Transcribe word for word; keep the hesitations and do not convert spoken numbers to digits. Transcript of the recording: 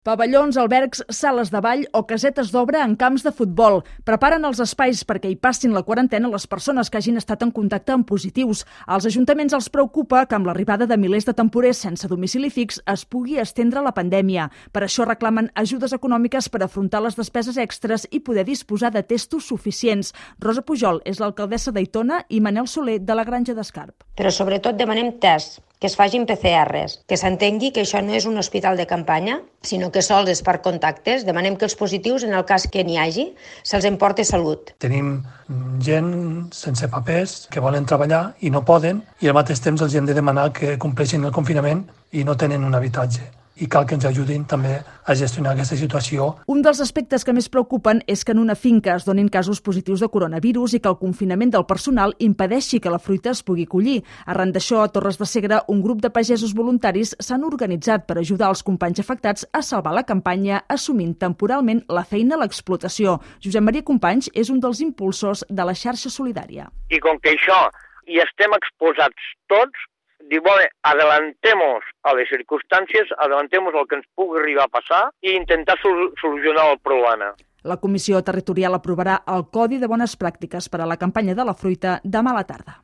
Pavellons, albergs, sales de ball o casetes d'obra en camps de futbol. Preparen els espais perquè hi passin la quarantena les persones que hagin estat en contacte amb positius. Als ajuntaments els preocupa que amb l'arribada de milers de temporers sense domicili fix es pugui estendre la pandèmia. Per això reclamen ajudes econòmiques per afrontar les despeses extres i poder disposar de testos suficients. Rosa Pujol és l'alcaldessa d'Aitona i Manel Soler de la Granja d'Escarp. Però sobretot demanem tests, que es facin P C Rs, que s'entengui que això no és un hospital de campanya, sinó que sols és per contactes. Demanem que els positius, en el cas que n'hi hagi, se'ls emporti Salut. Tenim gent sense papers que volen treballar i no poden, i al mateix temps els hem de demanar que compleixin el confinament i no tenen un habitatge. I cal que ens ajudin també a gestionar aquesta situació. Un dels aspectes que més preocupen és que en una finca es donin casos positius de coronavirus i que el confinament del personal impedeixi que la fruita es pugui collir. Arran d'això, a Torres de Segre, un grup de pagesos voluntaris s'han organitzat per ajudar els companys afectats a salvar la campanya, assumint temporalment la feina a l'explotació. Josep Maria Companys és un dels impulsors de la xarxa solidària. I com que això hi estem exposats tots, diu, bueno, adelantemos a les circumstàncies, adelantemos el que ens pugui arribar a passar i intentar sol- solucionar el problema. La Comissió Territorial aprovarà el Codi de Bones Pràctiques per a la campanya de la fruita demà a la tarda.